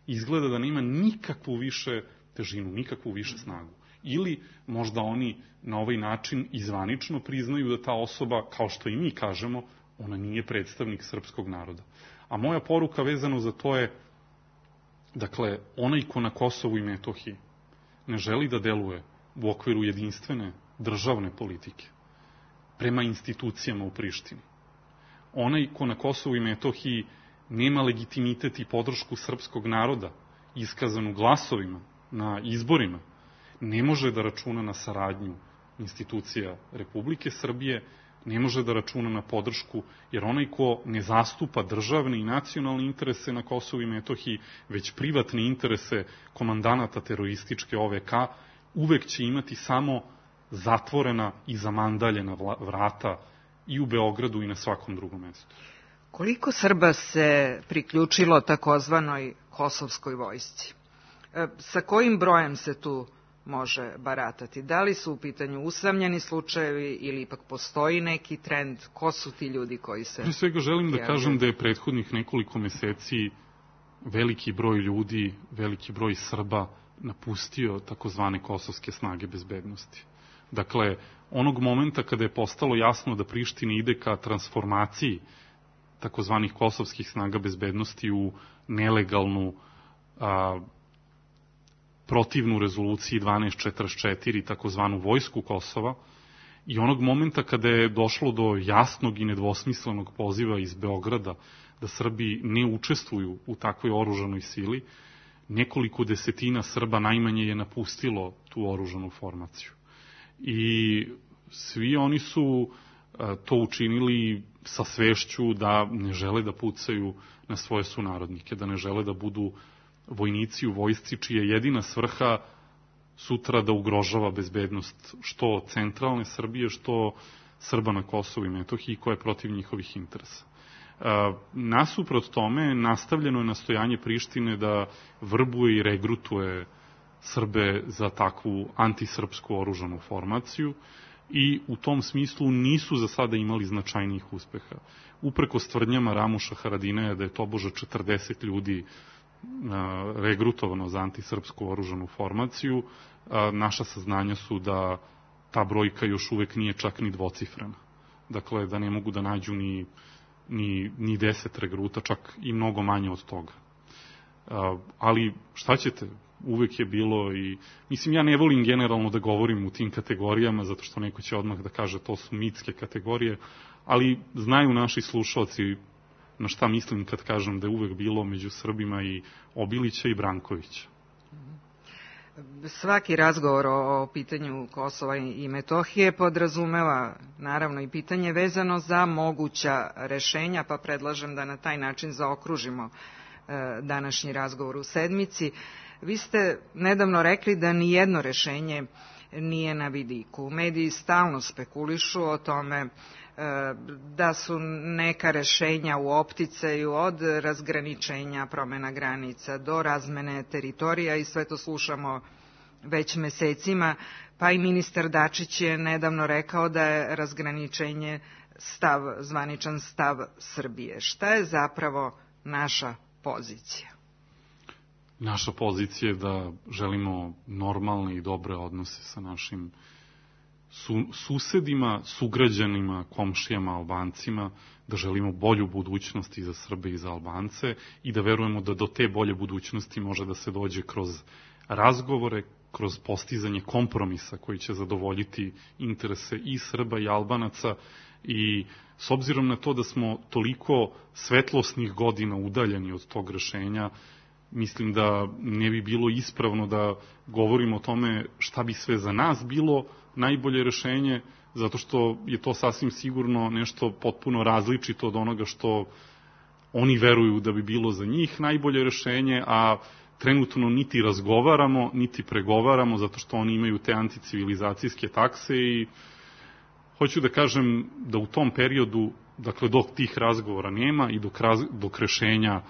izgleda da nema nikakvu više težinu, nikakvu više snagu. Ili možda oni na ovaj način izvanično priznaju da ta osoba, kao što i mi kažemo, ona nije predstavnik srpskog naroda. A moja poruka vezano za to je, dakle, onaj ko na Kosovu i Metohiji ne želi da deluje u okviru jedinstvene državne politike prema institucijama u Prištini, onaj ko na Kosovu i Metohiji nema legitimitet i podršku srpskog naroda iskazanu glasovima na izborima, ne može da računa na saradnju institucija Republike Srbije, ne može da računa na podršku, jer onaj ko ne zastupa državne i nacionalne interese na Kosovu i Metohiji, već privatne interese komandanata terorističke O V K, uvek će imati samo zatvorena i zamandaljena vrata i u Beogradu i na svakom drugom mestu. Koliko Srba se priključilo takozvanoj kosovskoj vojsci? Sa kojim brojem se tu može baratati? Da li su u pitanju usamljeni slučajevi ili ipak postoji neki trend? Ko su ti ljudi koji se... Pre svega želim da kažem da je prethodnih nekoliko meseci veliki broj ljudi, veliki broj Srba napustio takozvane kosovske snage bezbednosti. Dakle, onog momenta kada je postalo jasno da Priština ide ka transformaciji takozvanih kosovskih snaga bezbednosti u nelegalnu a, protivnu rezoluciji dvanaest četrdeset četiri, takozvanu vojsku Kosova, i onog momenta kada je došlo do jasnog i nedvosmislenog poziva iz Beograda da Srbi ne učestvuju u takvoj oružanoj sili, nekoliko desetina Srba najmanje je napustilo tu oružanu formaciju. I svi oni su to učinili sa svešću da ne žele da pucaju na svoje sunarodnike, da ne žele da budu vojnici u vojsci čija je jedina svrha sutra da ugrožava bezbednost što centralne Srbije, što Srba na Kosovu i Metohiji, koja je protiv njihovih interesa. Nasuprot tome, nastavljeno je nastojanje Prištine da vrbuje i regrutuje Srbe za takvu antisrpsku oružanu formaciju i u tom smislu nisu za sada imali značajnijih uspeha. Uprkos tvrdnjama Ramuša Haradinaja da je tobože četrdeset ljudi regrutovano za antisrpsku oružanu formaciju, naša saznanja su da ta brojka još uvek nije čak ni dvocifrena. Dakle, da ne mogu da nađu ni ni, ni deset regruta, čak i mnogo manje od toga. Ali šta ćete, uvek je bilo i, mislim, ja ne volim generalno da govorim u tim kategorijama, zato što neko će odmah da kaže to su mitske kategorije, ali znaju naši slušalci na šta mislim kad kažem da je uvek bilo među Srbima i Obilića i Brankovića. Svaki razgovor o pitanju Kosova i Metohije podrazumeva naravno i pitanje vezano za moguća rešenja, pa predlažem da na taj način zaokružimo današnji razgovor u sedmici. Vi ste nedavno rekli da ni jedno rešenje nije na vidiku. Mediji stalno spekulišu o tome da su neka rešenja u opticaju, od razgraničenja, promena granica do razmene teritorija, i sve to slušamo već mesecima, pa i ministar Dačić je nedavno rekao da je razgraničenje stav, zvaničan stav Srbije. Šta je zapravo naša pozicija? Naša pozicija je da želimo normalne i dobre odnose sa našim su, susedima, sugrađanima, komšijama, Albancima, da želimo bolju budućnost i za Srbe i za Albance i da verujemo da do te bolje budućnosti može da se dođe kroz razgovore, kroz postizanje kompromisa koji će zadovoljiti interese i Srba i Albanaca. I s obzirom na to da smo toliko svetlosnih godina udaljeni od tog rešenja, mislim da ne bi bilo ispravno da govorimo o tome šta bi sve za nas bilo najbolje rešenje, zato što je to sasvim sigurno nešto potpuno različito od onoga što oni veruju da bi bilo za njih najbolje rešenje, a trenutno niti razgovaramo, niti pregovaramo, zato što oni imaju te anticivilizacijske takse i hoću da kažem da u tom periodu, dakle dok tih razgovora nema i dok, raz, dok rešenja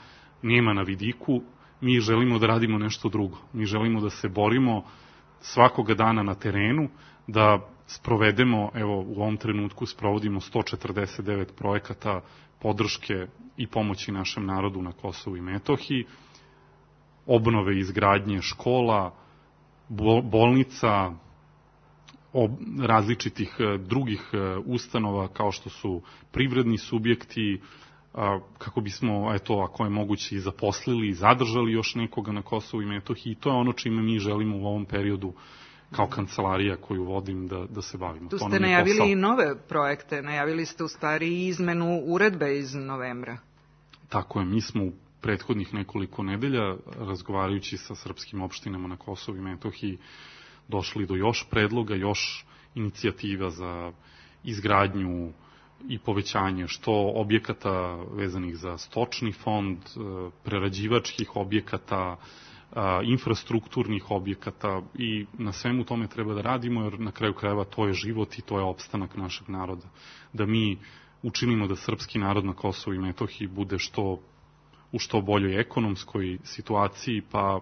nema na vidiku, mi želimo da radimo nešto drugo. Mi želimo da se borimo svakoga dana na terenu, da sprovedemo, evo u ovom trenutku sprovodimo sto četrdeset devet projekata podrške i pomoći našem narodu na Kosovu i Metohiji, obnove i izgradnje škola, bolnica, različitih drugih ustanova kao što su privredni subjekti, kako bismo, eto, ako je moguće, i zaposlili i zadržali još nekoga na Kosovu i Metohiji. I to je ono čime mi želimo u ovom periodu kao kancelarija koju vodim da, da se bavimo. Tu ste najavili i nove projekte, najavili ste u stvari i izmenu uredbe iz novembra. Tako je, mi smo u prethodnih nekoliko nedelja, razgovarajući sa srpskim opštinama na Kosovu i Metohiji, došli do još predloga, još inicijativa za izgradnju i povećanje što objekata vezanih za stočni fond, prerađivačkih objekata, infrastrukturnih objekata, i na svemu tome treba da radimo, jer na kraju krajeva to je život i to je opstanak našeg naroda. Da mi učinimo da srpski narod na Kosovu i Metohiji bude što, u što boljoj ekonomskoj situaciji, pa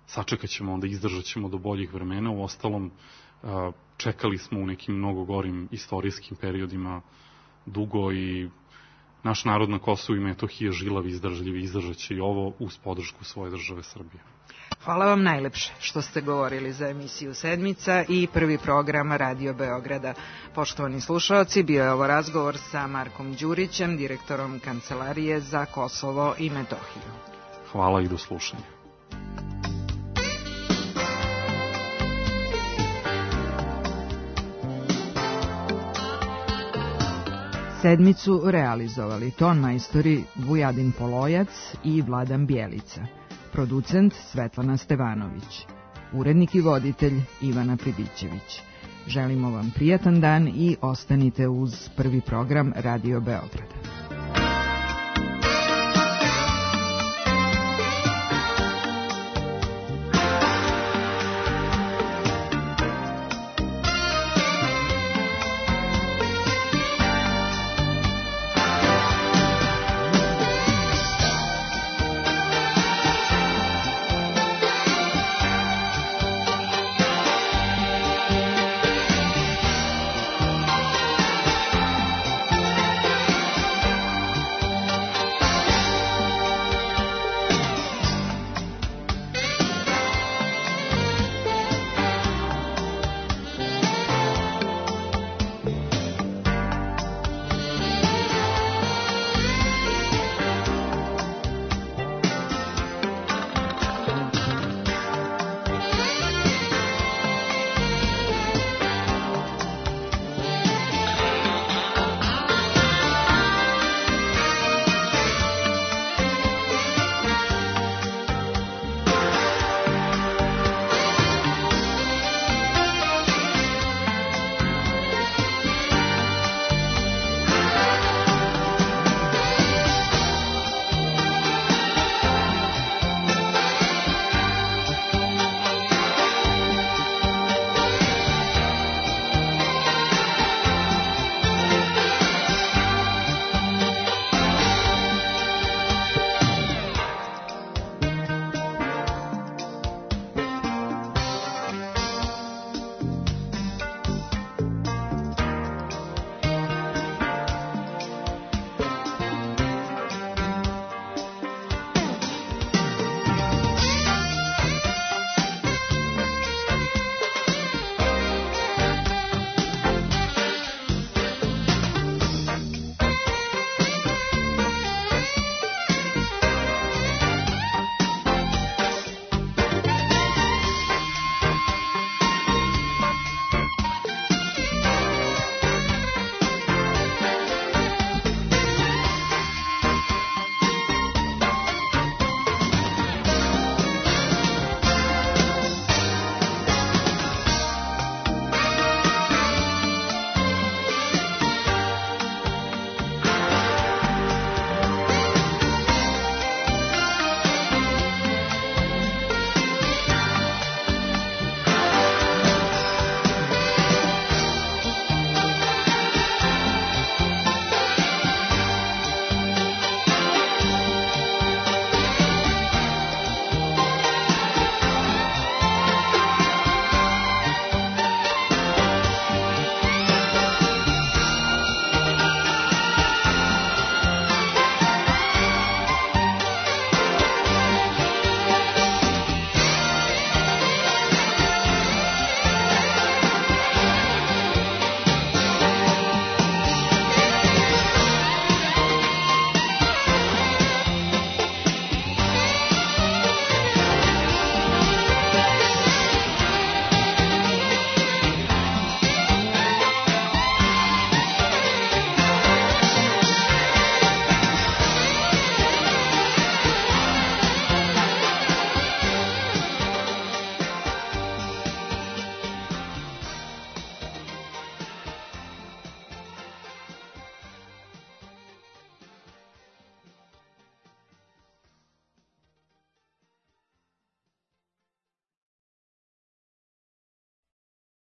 sačekat ćemo, onda izdržat ćemo do boljih vremena. U ostalom, čekali smo u nekim mnogo gorim istorijskim periodima dugo i naš narod na Kosovu i Metohiji je žilav i izdržljiv i izdržat će i ovo uz podršku svoje države Srbije. Hvala vam najlepše što ste govorili za emisiju Sedmica i prvi program Radio Beograda. Poštovani slušaoci, bio je ovo razgovor sa Markom Đurićem, direktorom Kancelarije za Kosovo i Metohiju. Hvala i do slušanja. Sedmicu realizovali ton majstori Vujadin Polojac i Vladan Bjelica, producent Svetlana Stevanović, urednik i voditelj Ivana Pribićević. Želimo vam prijatan dan i ostanite uz prvi program Radio Beograd.